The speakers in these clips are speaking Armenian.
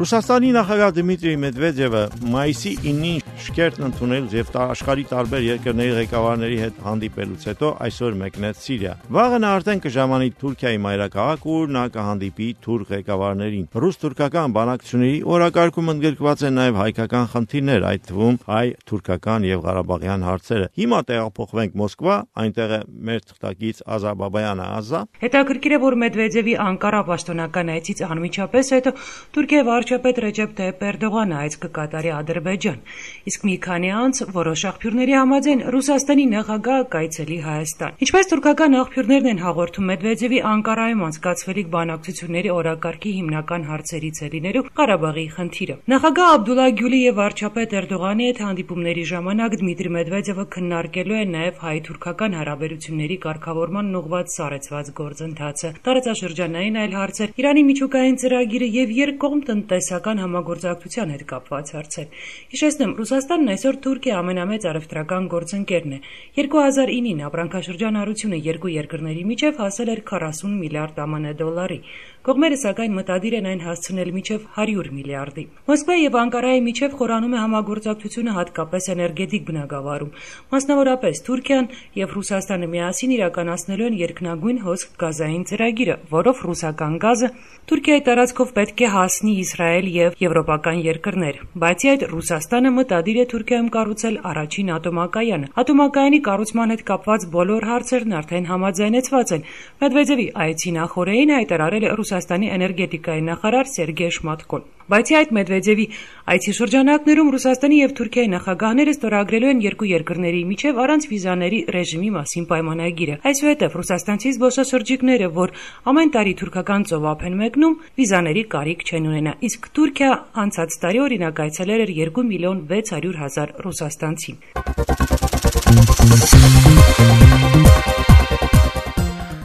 Ռուսաստանի նախագահ Դմիտրի Մեդվեդևը մայիսի 9-ին շքերթն ընդունելուց եւ աշխարհի տարբեր երկրների ղեկավարների հետ հանդիպելուց հետո այսօր մեկնեց Սիրիա։ Վաղը նա արդեն կժամանի Թուրքիայի մայրաքաղաք, ուր նա կհանդիպի թուրք ղեկավարներին։ Ռուս-թուրքական բանակցությունների օրակարգում ընդգրկված են նաեւ հայկական խնդիրներ, այդ թվում հայ-թուրքական եւ ղարաբաղյան հարցերը։ Հիմա տեղափոխվենք Մոսկվա, այնտեղ է մեր թղթակից Ազա Բաբայանը։ Ազա։ Հետաքրքիր է, որ Մեդվեդևի Անկարա պաշտոնական այցից անմիջապես հետո Թուրքիայի վարչապետ Ռեջեփ Թայիփ Էրդողանը այց կկատարի Ադրբեջան, իսկ մի քանի անց որոշ աղբյուրների համաձայն Ռուսաստանի նախագահը կայցելի Հայաստան։ Ինչպես թուրքական աղբյուրներն են հաղորդում, Մեդվեդևի Անկարայում անցկացվելիք բանակցությունների օրակարգի հիմնական հարցերից է լինելու Ղարաբաղի խնդիրը։ Նախագահ Աբդուլլա Գյուլի եւ վարչապետ Էրդողանի հետ հանդիպումների ժամանակ Դմիտրի Մեդվեդևը քննարկելու է նաեւ հայ-թուրքական հարաբերությունների կարգավորման ուղղված սառեցված գործընթացը, տարածաշրջանային այլ հարցեր, Իրանի միջուկային ծրագիրը եւ երկկողմ տնտեսական համագործակցության հետ կապված հարցեր։ Հիշեցնեմ, Ռուսաստանն այսօր Թուրքիայի ամենամեծ առևտրական գործընկերն է։ 2009-ին ապրանքաշրջանառությունը երկու երկրների միջև հասել էր 40 միլիարդ ԱՄՆ դոլարի։ Կողմերը սակայն մտադիր են այն հասցնել մինչև 100 միլիարդի։ Մոսկվայի եւ Անկարայի միջև խորանում է համագործակցությունը հատկապես էներգետիկ բնագավառում։ Մասնավորապես Թուրքիան եւ Ռուսաստանը միասին իրականացնելու են երկնագույն հոսք գազային ծրագիրը, որով ռուսական գազը Թուրքիայի տարածքով պետք է հասնի Իսրայել եւ եվրոպական երկրներ։ Բացի այդ, Ռուսաստանը մտադիր է Թուրքիայում կառուցել առաջին ատոմակայանը։ Ատոմակայանի կառուցման հետ կապված բոլոր հարցերն արդեն համաձայնեցված են։ Մեդվեդևի այցի նախօրեին հայտարարել է Ռուսաստանի էներգետիկայի նախարար Սերգեյ Շմատկոն։ Բացի այդ, Մեդվեդևի այցի շրջանակներում Ռուսաստանի եւ Թուրքիայի նախագահները ստորագրելու են երկու երկրների միջև առանց վիզաների ռեժիմի մասին պայմանագիրը։ Այսուհետև ռուսաստանցի զբոսաշրջիկները, որ ամեն տարի թուրքական ծովափ են մեկնում, վիզաների կարիք չեն ունենա, իսկ Թուրքիա անցած տարի օրինակ այցելել էր 2 միլիոն 600 հազար ռուսաստանցի։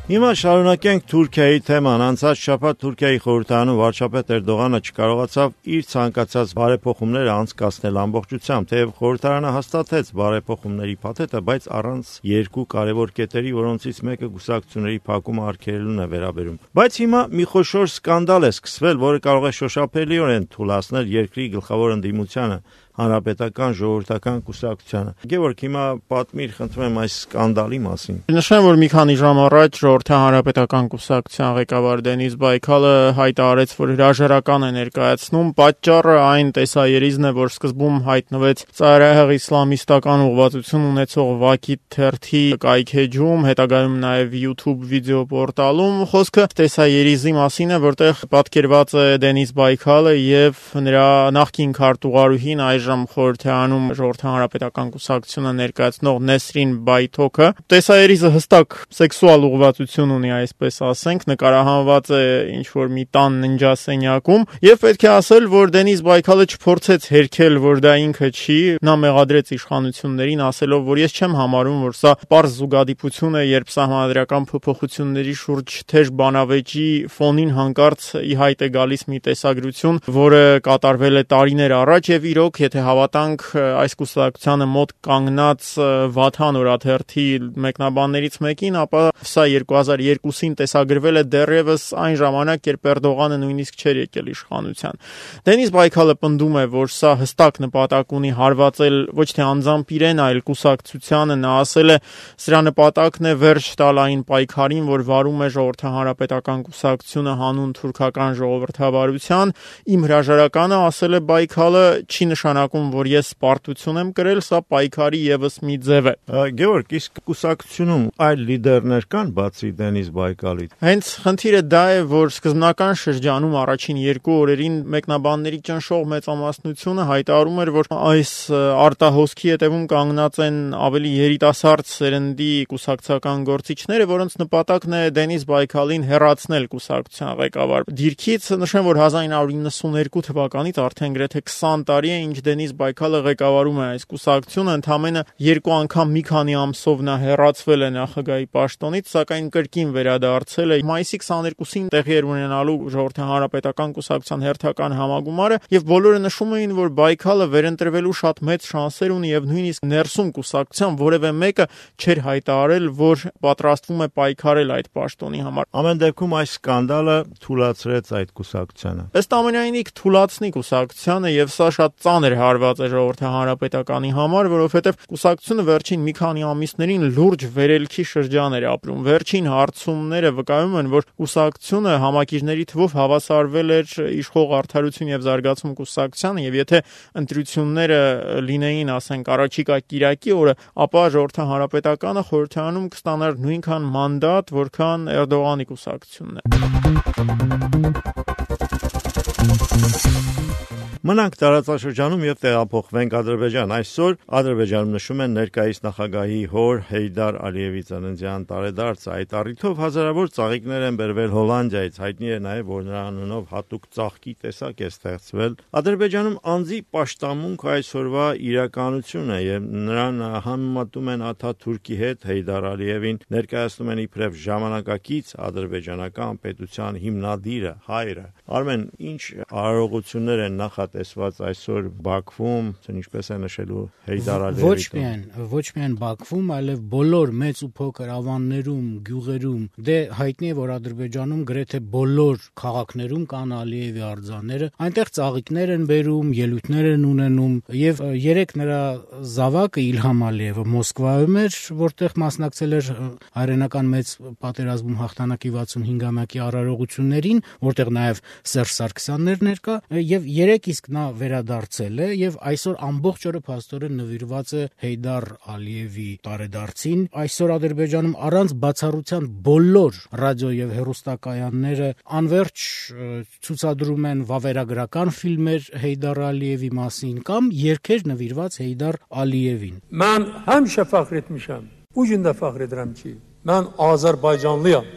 Հիմա շարունակենք Թուրքիայի թեման։ Անցած շաբաթ Թուրքիայի խորհրդարանում վարչապետ Էրդողանը չկարողացավ իր ցանկացած բարեփոխումները անցկացնել ամբողջությամբ, թեև խորհրդարանը հաստատեց բարեփոխումների փաթեթը, բայց առանց երկու կարևոր կետերի, որոնցից մեկը կուսակցությունների փակումը արգելելուն է վերաբերում։ Բայց հիմա մի խոշոր սկանդալ է սկսվել, որը կարող է շոշափելիորեն թուլացնել երկրի գլխավոր ընդդիմությանը, հանրապետական ժողովրդական կուսակցությանը։ Գևորգ, հիմա պատմիր, խնդրում եմ, այս սկանդալի մասին։ Նշեմ, որ մի քանի ժամ առաջ ժողովրդի հանրապետական կուսակցության ղեկավար Դենիս Բայքալը հայտարարեց, որ հրաժարական է ներկայացնում։ Պատճառը այն տեսաերիզն է, որ սկզբում հայտնվեց ծայրահեղ իսլամիստական ուղղվածություն ունեցող Վակիթ թերթի կայքեջում, հետագայում նաև YouTube վիդեոպորտալում։ Խոսքը տեսաերիզի մասին է, որտեղ պատկերված է Դենիս Բայքալը եւ նրա նախկին քարտուղարուհին այժմ խորհրդարանում ժողովրդի հանրապետական կուսակցությունը ներկայացնող Նեսրին Բայթոքը։ Տեսաերիզը հստակ սեքսուալ ուղղվածություն ունի, այսպես ասենք, նկարահանված է ինչ-որ մի տան ննջասենյակում, եւ պետք է ասել, որ Դենիս Բայքալը չփորձեց հերքել, որ դա ինքը չի, նա մեղադրեց իշխանություններին, ասելով, որ ես չեմ համարում, որ սա պարզ զուգադիպություն է, երբ սահմանադրական փոփոխությունների շուրջ թեժ բանավեճի ֆոնին հանկարծ ի հայտ է գալիս մի տեսագրություն, որը կատարվել է տարիներ առաջ, եւ իրոք, եթե հավատանք այս կուսակցությանը մոտ կանգնած Վաթան օրաթերթի մեկնաբաններից մեկին, ապա սա 2002-ին տեսագրվել է դեռևս այն ժամանակ, երբ Էրդողանը նույնիսկ չէր եկել իշխանության։ Դենիս Բայքալը պնդում է, որ սա հստակ նպատակ ունի հարվածել ոչ թե անձամբ իրեն, այլ կուսակցությանը։ Նա ասել է, սրա նպատակն է վերջ տալ այն պայքարին, որ վարում է ժողովրդի հանրապետական կուսակցությունը հանուն թուրքական ժողովրդավարության։ Իմ հրաժարականը, ասել է Բայքալը, չի նշանակում, որ ես պարտություն եմ կրել, սա պայքարի եւս մի ձև է։ Գևորգ, իսկ կուսակցությունում այլ լիդերներ կան բացի Դենիս Բայկալից։ Հենց խնդիրը դա է, որ սկզբնական շրջանում առաջին երկու օրերին մեկնաբանների ճնշող մեծամասնությունը հայտարարում էր, որ այս արտահոսքի հետևում կանգնած են ավելի երիտասարդ սերնդի կուսակցական գործիչները, որոնց նպատակն է Դենիս Բայքալին հեռացնել կուսակցության ղեկավար դիրքից։ Նշեմ, որ 1992 թվականից արդեն գրեթե 20 տարի է, ինչ Դենիս Բայքալը ղեկավարում է այս կուսակցությունը, ընդամենը 2 անգամ մի քանի ամսով նա հեռացվել է նախագահի պաշտոնից, սակայն կրկին վերադարձել է։ Մայիսի 22-ին տեղի էր ունենալու Ժողովրդի հանրապետական կուսակցության հերթական համագումարը, եւ բոլորը նշում էին, որ Բայքալը վերընտրվելու շատ մեծ շանսեր ունի եւ նույնիսկ ներսում կուսակցության որևէ մեկը չէր հայտարարել, որ պատրաստվում է պայքարել այդ պաշտոնի համար։ Ամեն դեպքում այս սկանդալը թուլացրեց այդ կուսակցությանը։ Ըստ ամենայնի թուլացնի կուսակցությանը եւ սա շատ ծանր հարված է Ժողովրդի հանրապետականի համար, որովհետեւ կուսակցությունը վերջին մի քանի ամիսներին լուրջ վերելքի շրջան էր ապրում։ Վերջին հարցումները վկայում են, որ կուսակցությունը համակիրների թվով հավասարվել էր իշխող Արդարություն եւ Զարգացում կուսակցությանը եւ եթե ընտրությունները լինեին, ասենք, առաջիկա կիրակի օրը, ապա Ժողովրդի հանրապետականը խորհրդարանում կստանար նույնքան մանդատ, որքան Էրդողանի կուսակցությունն է։ Մնանք տարածաշրջանում եւ տեղափոխվենք Ադրբեջան։ Այսօր Ադրբեջանում նշում են ներկայիս նախագահի հոր Հեյդար Ալիևի ծննդյան տարեդարձը։ Այդ առիթով հազարավոր ծաղիկներ են բերվել Հոլանդիայից։ Հայտնի է նաեւ, որ նրա անունով հատուկ ծաղկի տեսակ է ստեղծվել։ Ադրբեջանում անձի պաշտամունք այսօրվա իրականություն է եւ նրան համեմատում են Աթաթուրքի հետ։ Հեյդար Ալիևին ներկայացնում են իբրև ժամանակակից ադրբեջանական պետության հիմնադիրը, հայրը։ Արմեն, ինչ արարողություններ են տեսված այսօր Բաքվում, ինչպես է նշելու Հեյդար Ալիևի։ Ոչ միայն Բաքվում, այլև բոլոր մեծ ու փոքր ավաններում, գյուղերում, հայտնի է, որ Ադրբեջանում գրեթե բոլոր քաղաքներում կան Ալիևի արձանները, այնտեղ ծաղիկներ են բերում, ելույթներ են ունենում, եւ երեք նրա զավակը Իլհամ Ալիևը Մոսկվայում էր, որտեղ մասնակցել էր հայրենական մեծ պատերազմում հաղթանակի 65-ամյակի արարողություններին, որտեղ նաեւ Սերժ Սարգսյանն էր ներկա, եւ երեք իսկ նա վերադարձել է եւ այսօր ամբողջ օրը փաստորեն նվիրված է Հեյդար Ալիևի տարեդարձին։ Այսօր Ադրբեջանում առանց բացառության բոլոր ռադիո եւ հեռուստակայանները անverջ ցուցադրում են վավերագրական ֆիլմեր Հեյդար Ալիևի մասին կամ երգեր նվիրված Հեյդար Ալիևին։ Mən həmişə fəxr etmişəm. Bu gün də fəxr edirəm ki, mən Azərbaycanlıyam.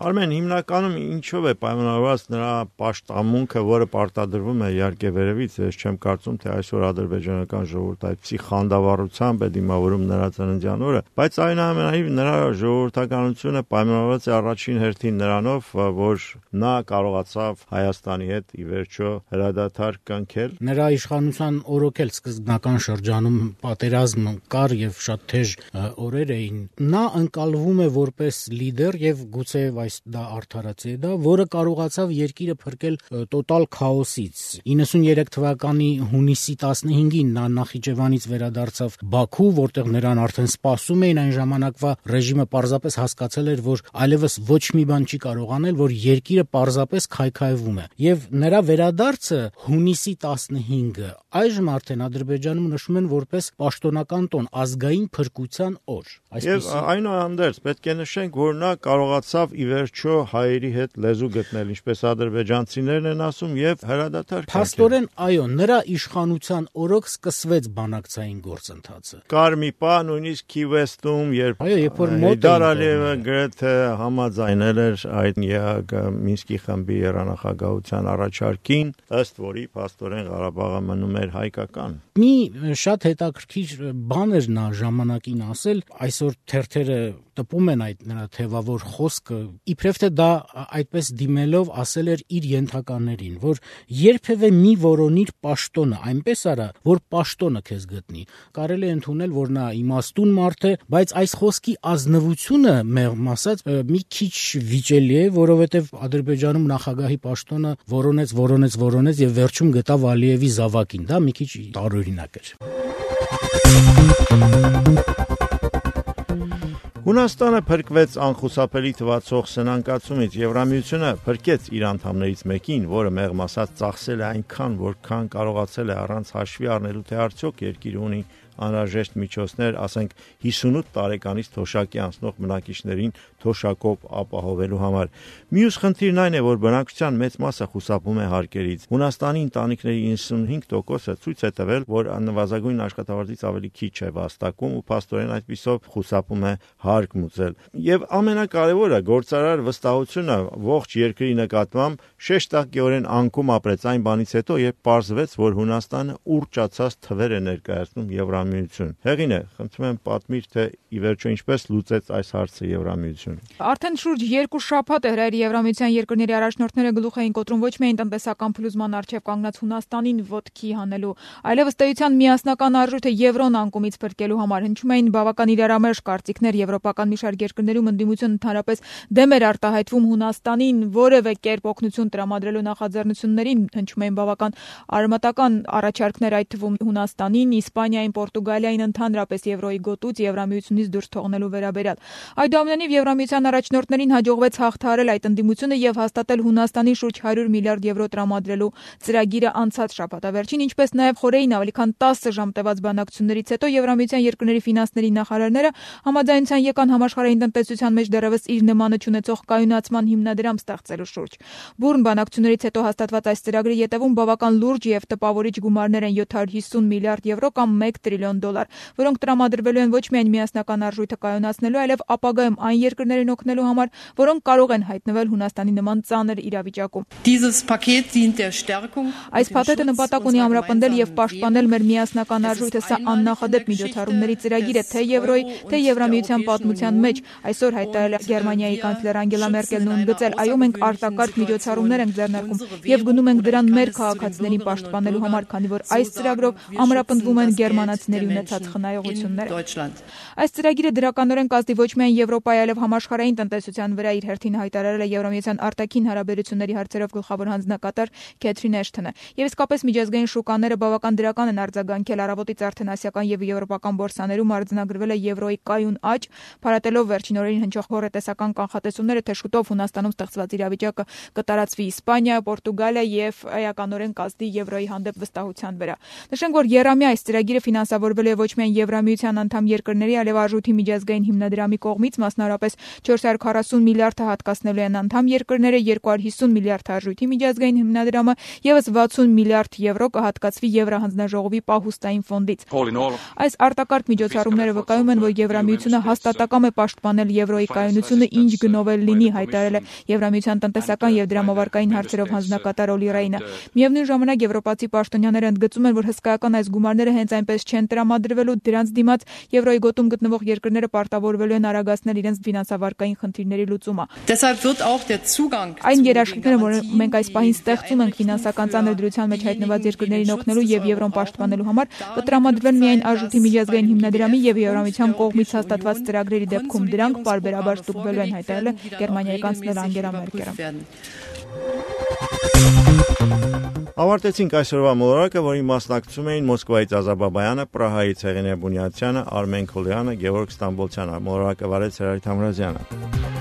Արմեն, հիմնականում ինչով է պայմանավորված նրա պաշտամունքը, որը պարտադրվում է իհարկե վերևից, ես չեմ կարծում, թե այսօր ադրբեջանական ժողովուրդը այդպիսի խանդավառությամբ է դիմավորում նրա ծննդյան օրը, բայց այնուամենայնիվ նրա ժողովրդականությունը պայմանավորված է առաջին հերթին նրանով, որ նա կարողացավ Հայաստանի հետ ի վերջո հրադադար կնքել։ Նրա իշխանության օրոքել սկզբնական շրջանում պատերազմ կար եւ շատ թեժ օրեր էին։ Նա ընկալվում է որպես լիդեր եւ գուցե դա արդարացի է դա, որը կարողացավ երկիրը փրկել տոտալ քաոսից։ 93 թվականի հունիսի 15-ին նա Նախիջևանից վերադարձավ Բաքու, որտեղ նրան արդեն սպասում էին, այն ժամանակվա ռեժիմը պարզապես հասկացել էր, որ այլևս ոչ մի բան չի կարող անել, որ երկիրը պարզապես քայքայվում է։ Եվ նրա վերադարձը հունիսի 15-ը այժմ արդեն Ադրբեջանում նշում են որպես պաշտոնական տոն, ազգային փրկության օր։ Եվ այնուհանդերձ պետք է նշենք, որ նա կարողացավ ի վերջո հայերի հետ լեզու գտնել, ինչպես ադրբեջանցիներն են ասում, եւ հրադադար կնքել։ Փաստորեն, այո, նրա իշխանության օրոք սկսվեց բանակցային գործընթացը։ Կար մի պահ նույնիսկ Քիվեստում, երբ Հեյդար Ալիևը գրեթե համաձայնել էր այդ ԵԱՀԿ Մինսկի խմբի երանախագահության առաջարկին, ըստ որի փաստորեն Ղարաբաղը մնում էր հայկական։ Մի շատ հետաքրքիր բան էր նա ժամանակին ասել, այսօր թերթերը տպում են այդ նրա թևավոր խոսքը, իբրև թե դա այդպես դիմելով ասել էր իր ենթականերին, որ երբևէ մի որոնիր պաշտոնը, այնպես արա, որ պաշտոնը քեզ գտնի։ Կարելի է ընդունել, որ նա իմաստուն մարդ է, բայց այս խոսքի ազնվությունը, մեղմ ասած, մի քիչ վիճելի է, որովհետև Ադրբեջանում նախագահի պաշտոնը որոնեց եւ վերջում գտավ Ալիևի զավակին։ Դա մի քիչ տարօրինակ էր։ Հունաստանը փրկվեց անխուսափելի թվացող սնանկացումից, Եվրամիությունը փրկեց իր անդամներից մեկին, որը մեղմ ասած ծախսել է այնքան, որքան կարողացել է առանց հաշվի առնելու, թե արդյոք երկիրը ունի անհրաժեշտ միջոցներ, ասենք 58 տարեկանից թոշակի անցնող բնակիչներին թոշակով ապահովելու համար։ Մյուս խնդիրն այն է, որ բնակչության մեծ մասը խուսափում է հարկերից։ Հունաստանի ընտանիքների 95%-ը ցույց է տվել, որ նվազագույն աշխատավարձից ավելի քիչ է վաստակում ու փաստորեն այդպիսով խուսափում է հարկ մուծել։ Եվ ամենակարևորը, գործարար վստահությունը ողջ երկրի նկատմամբ շեշտակիորեն անկում ապրեց այն բանից հետո, երբ պարզվեց, որ Հունաստանը ուռճացած թվեր է ներկայացնում Եվրամիություն։ Հեղինե, խնդրում եմ պատմիր, թե ի վերջո ինչպես լուծեց այս հարցը Եվրամիությունը։ Արդեն շուրջ 2 շաբաթ է Եվրամիության երկրների առաջնորդները գլուխ էին կոտրում ոչ միայն տնտեսական փլուզման առջև կանգնած Հունաստանին ոտքի հանելու, այլև ըստ էության միասնական արժույթը եվրոն անկումից փրկելու համար հնչում էին բավական իրարամերժ կարծիքներ եվրոպական մի շարք երկրներում ընդդիմություն ընդհանրապես դեմ էր արտահայտվում Հունաստանին որևէ կերպ օգնություն տրամադրելու նախաձեռնություններին, հնչում էին բավական արմատական առաջարկներ այդ թվում Հունաստանին, Իսպանիային, Պորտուգալիային ընդհանրապես եվրոյի գոտուց Եվրամիությունից դուրս թողնելու վերաբերյալ։ Այդուամենայնիվ Եվրամիության առաջնորդներին հաջողվեց հաղթահարել այդ ընդդիմությունը եւ հաստատել Հունաստանի շուրջ 100 միլիարդ եվրո տրամադրելու ծրագիրը անցած շաբաթավերջին, ինչպես նաեւ խորեին ավելի քան 10 ժամ տևած բանակցություններից հետո Եվրամիության երկրների ֆինանսների նախարարները համաձայնության եկան համաշխարհային տնտեսության մեջ դեռևս իր նմանը չունեցող կայունացման հիմնադրամ ստեղծելու շուրջ։ Բուրն բանակցություններից հետո հաստատված այս ծրագրի ետևում բավական լուրջ եւ տպավորիչ գումարներ են 750 միլիարդ եվրո կամ 1 տրիլիոն դոլար, որոնք տրամադրվելու են ոչ միայն միասնական արժույթը կայունացնելու, այլև ապագայում այն երկրներին օգնելու համար, որոնք կարող են հայտնվել Հունաստանի նման ծանր իրավիճակում։ Այս փաթեթը նպատակ ունի ամրապնդել եւ պաշտպանել մեր միասնական արժույթը, սա աննախադեպ միջոցառումների ծրագիր է թե Եվրոյի, թե Եվրամիության պատմության մեջ։ Այսօր հայտարարել է Գերմանիայի կանցլեր Անգելա Մերկելն ու ընդգծել, այո, մենք արտակարգ միջոցառումներ ենք ձեռնարկում եւ գնում ենք դրան մեր քաղաքացիներին պաշտպանելու համար, քանի որ այս ծրագրով ամրապնդվում են գերմանացիների ունեցած խնայողությունները։ Այս ծրագիրը դրականորեն կազդի ոչ միայն Եվրոպայի, այլև համաշխարհային տնտեսության վրա իր հերթին հայտարարել է Եվրամիության արտաքին հարաբերությունների հարցերով գլխավոր հանձնակատար Քեթրին Էշթոնը։ Եվ իսկապես միջազգային շուկաները բավական դրական են արձագանքել առավոտից արդեն ասիական եւ եվրոպական բորսաներում արձանագրվել է եվրոյի կայուն աճ, փառատելով վերջին օրերին հնչող հոռետեսական կանխատեսումները, թե շուտով Հունաստանում ստեղծված իրավիճակը կտարածվի Իսպանիա, Պորտուգալիա եւ էականորեն կազդի եվրոյի հանդեպ վստահության վրա։ Նշենք, որ ԵՌԱՄ-ի այս ծրագիրը ֆինանսավորվել է ոչ միայն Եվրամիության անդամ երկրների, այլև արժույթի միջազգային հիմնադրամի կողմից, մասնավորապես 440 միլիարդ հատկացնելու են անդամ երկրները, 250 միլիարդ արժույթի միջազգային հիմնադրամը, եւս 60 միլիարդ եվրո կհատկացվի Եվրահանձնաժողովի պահուստային ֆոնդից։ Այս արտակարգ միջոցառումները վկայում են, որ Եվրամիությունը հաստատակամ է պաշտպանել եվրոյի կայունությունը, ինչ գնով էլ լինի, հայտարարել է Եվրամիության տնտեսական եւ դրամավարկային հարցերով հանձնակատար Օլի Ռեյնը։ Միևնույն ժամանակ եվրոպացի պաշտոնյաները ընդգծում են, որ հսկայական այս գումարները հենց այնպես չեն տրամադրվելու, դրանց դիմաց եվրոյի գոտում գտնվող երկրները պարտավորվելու են արագացնել իրենց ֆինանսավարկային խնդիրների լուծումը։ Այն երաշխիքները, որ մենք այս պահին ստեղծում ենք ֆինանսական ծանր դրության մեջ հայտնված երկրներին օգնելու եւ եվրոն պաշտպանելու համար, կտրամադրվեն միայն արժույթի միջազգային հիմնադրամի եւ Եվրամիության կողմից հաստատված ծրագրերի դեպքում դրանք պարբերաբար ստուգվելու են, հայտարարել է Գերմանիայի կանցլեր Անգելա Մերկելը։ Ավարտեցինք այսօրվա մոլորակը, որին մասնակցում էին Մոսկվայից Ազա Բաբայանը, Պրահայից Հեղինե Բունյացյանը, Արմեն Քոլյանը, Գևորգ Ստամբոլցյանը։ Մոլորակը վարեց Հրայր Թամրազյանը։